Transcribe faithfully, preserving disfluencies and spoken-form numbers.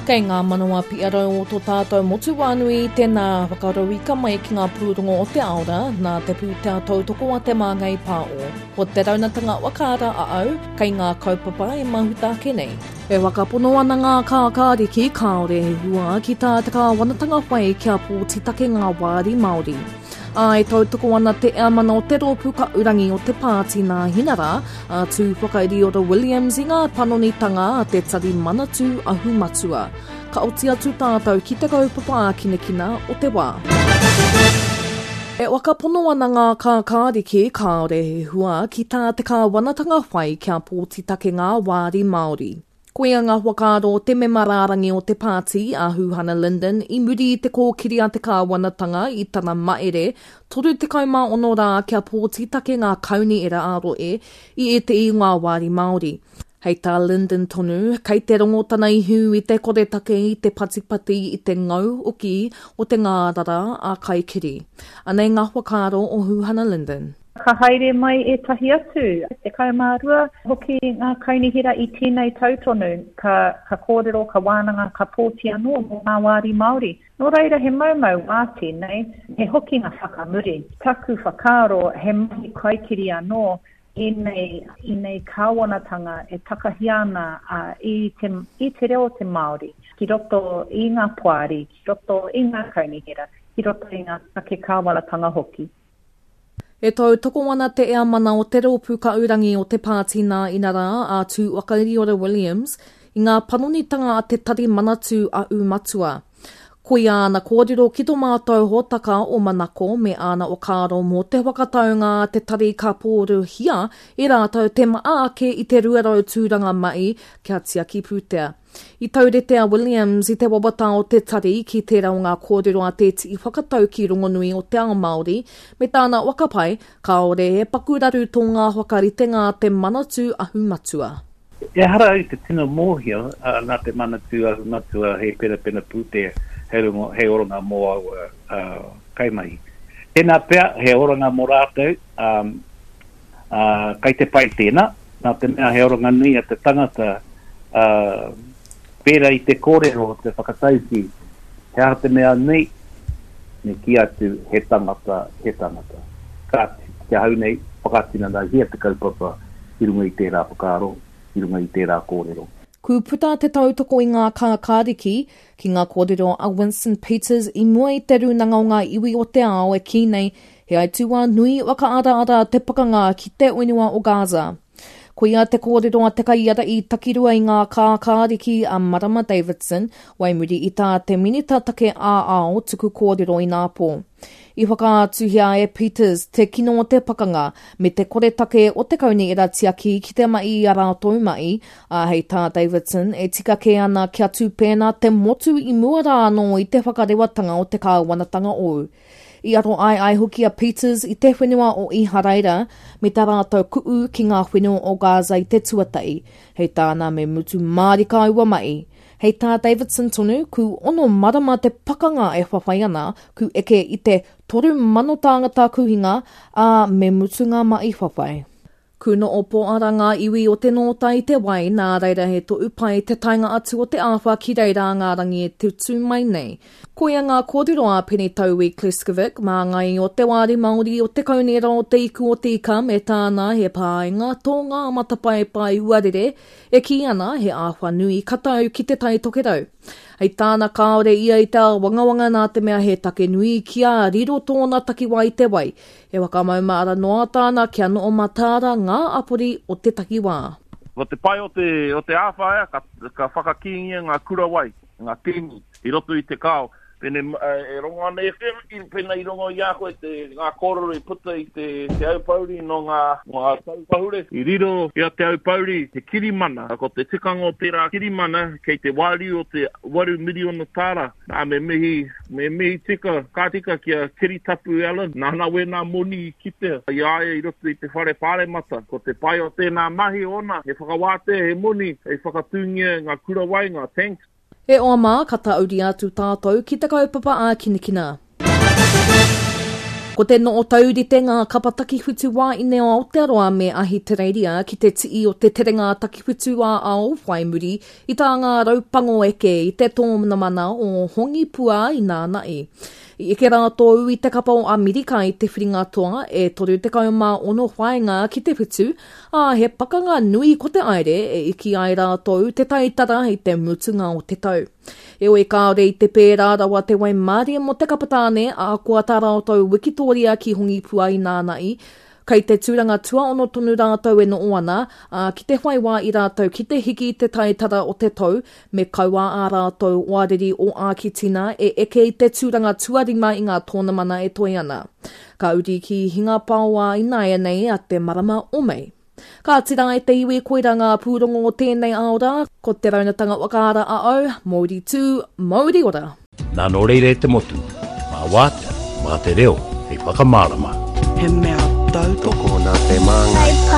Kei ngā manawa piarau o tō tātou motu wānui, tēnā whakarauika mai ki ngā pūrongo o te aora nā te pūtea tautoko a Te Māngai Pāo. Ko te raunatanga whakaara a au, kei ngā kaupapa e mahuta ake nei. E whakapono ana ngā kākāriki kāore he hua ki tā te kāwanatanga whai kia pōtitake ngā wāri Māori. Ā, e tautoko ana te eamana o te rōpū kaurangi o te pāti Nāhinara, a Tūwhakairiora Williams i ngā panonitanga a te Tari Manatū Ahu Matua. Ka oti atu tātou ki te kaupapa ākinakina o te wā. E whakapono ana ngā kākāriki kāore he hua ki tā te kāwanatanga whai kia pōtitake ngā wāri Māori. Koia ngā whakaaro o te mema rārangi o te pāti a Huhana Lyndon i muri i te kōkiri a te kāwanatanga i tana maere toru tekau mā ono rā kia pōtitake ngā kaunihera ā-rohe i ētehi o ngā wāri Māori. Hei tā Lyndon tonu, kei te rongo tana ihu i te koretake i te patipati i te ngau hoki o te ngārara a kaikiri. Anei ngā whakaaro o Huhana Lyndon. Ka haere mai ētahi atu, tekau mā rua hoki ngā kaunihera i tēnei tau tonu, ka, ka kōrero, ka wānanga, ka pōti anō mō ngā wāri Māori. Nō reira he maumau wā tēnei, he hokinga whakamuri. Taku whakaaro he mahi kaikiri anō ēnei, ēnei kāwanatanga e takahia ana i te, i te reo o te Māori ki roto i ngā poari, ki roto i ngā kaunihera, ki roto i ngā take kāwanatanga hoki. E tautoko ana te eamana o te rōpū kaurangi o te pāti nā inarā a Tūwhakairiora Williams i ngā panonitanga a te Tari Manatū a Ūmatua. Koia āna kōrero ki tō mātou hōtaka o Manako me āna whakaaro mō te whakataunga a te tari ka pōruhia e rātou te maa ake i te rua rau tūranga mahi kia tiaki pūtea. I taurite a Williams i te wawata o te tari ki tērā o ngā kōrero a tētehi whakatauki rongonui o te ao Māori, me tāna whakapae, kāore he paku raru tō ngā whakaritenga a te Manatū Ahu Matua. Ehara au i te tino mōhio, nā te Manatū Ahu Matua he penapena pūtea hei rongo, hei oranga mō aua kaimahi. Tēnā pea, he oranga mō rātou, kai te pai tēnā, nā te mea he oranga nui a te tangata, pērā i te kōrero o te whakataukī, he aha te mea nui, me kī atu he tangata, he tangata. Kāti, ki ahau nei, whakatinanahia te kaupapa i runga i tērā whakaaro, i runga i tērā kōrero. Ku puta te tautoko i ngā kākāriki ki ngā kōrero a Winston Peters i mua i te rūnanga o ngā iwi o te ao e kī nei he aituā nui whakaaraara te pakanga ki te whenua o Gaza. Koia te kōrero a te kaiārahi takirua i ngā kākāriki a Marama Davidson, wai muri i tā te Minita Take ā-Ao tuku kōrero inapō. I whakaatuhia e Peters te kino o te pakanga me te koretake o te kaunihera tiaki ki te mahi i a rātou mahi, ā, hei tā Davidson e tika kē ana kia tū pēnā te motu i mua rā anō i te whakarewatanga o te kāwanatanga ou. I aro ai ai hoki a Peters i te whenua o Iharaira me tā rātou ku'u ki ngā whenua o Gaza i te tuatahi, hei tāna me mutu mārika aua mahi. Hei tā Davidson tonu, ku ono marama te pakanga e whawhai ana, ku eke i te toru mano tāngata kuhinga, ā, me mutu ngā mahi whawhai. Ku noho pōara ngā iwi o te nōta i te wai, nā reira he tohu pai te taenga atu o te āwha ki reira ngā rangi e tutū mai nei. Koia ngā kōrero a Penny Taui Kleskovic, māngai o te Wāri Māori o te Kaunihera o Te Iku o Te Ika me tāna he pāinga tō ngā matapaepae huarere e kī ana he āwha nui ka tau ki te Tai Tokerau. Hei tāna kāore ia i te āwangawanga nā te mea he take nui kia riro tōna takiwā i te wai. He whakamaumahara noa tāna kia noho mataara ngā apori o te takiwā. Ko te pai o te, o te āwha ea, ka, ka whakakīngia ngā kura wai, ngā tēngi, i roto i te kao. Pene, e rongo ana e koe, pena i rongo i a koe te, ngā kōrero i puta i te, te Aupōuri nō ngā, nō ngā tau pahure. I riro i a Te Aupōuri te kirimana, ko te tikanga o tērā kirimana kei te wāriu o te waru miriona tāra. Nā, me mihi, me mihi tika, ka tika ki a Kiritapu Allan, nāna wēnā moni i kitea i a ia i roto i te whare pāremata. Ko te pai o tēnā mahi ōna, he whakawātea, he moni hei whakatūngia ngā kura wai, ngā tanks. E oa mā, ka tāuria atu tātou ki te kaupapa ākinakina. Ko te noo taurite ngā kapa takiwhitu wāine o Aotearoa me Ahitereiria ki te tii o te terenga takiwhitu a ao whai muri i tā ngā raupango eke i te tōnamana o Hongipua i nānai. I eke rātou i te kapa o Amerika i te whiringa toa e toru tekau mā ono whainga ki te whitu, ā he pakanga nui ko te aere e iki ai rātou te taitara i te mutunga o te tau. Eoi kāore i te pērā rawa te waimārie mō te kapatāne a kua tā rātou Wikitoria ki Hongipua i nānai, kei te tūranga tuaono tonu rātou e noho ana, ā, ki te whai wā i rātou ki te hiki i te taitara o te tau, me kaua ā rātou oariri o Ākitina e eke i te tūranga tuarima i ngā tōnamana e toe ana. Ka uri ki Hingapaoa i nāianei a te marama o Mei. Ka tira e te iwi koira ngā pūrongo o tēnei aora, ko te raunatanga wakaara a au, Mauri tū, Mauri ora. Nā nō reira e te motu, mā wātea, mā te reo, hei whakamārama. He mea tautoko nā te māngai.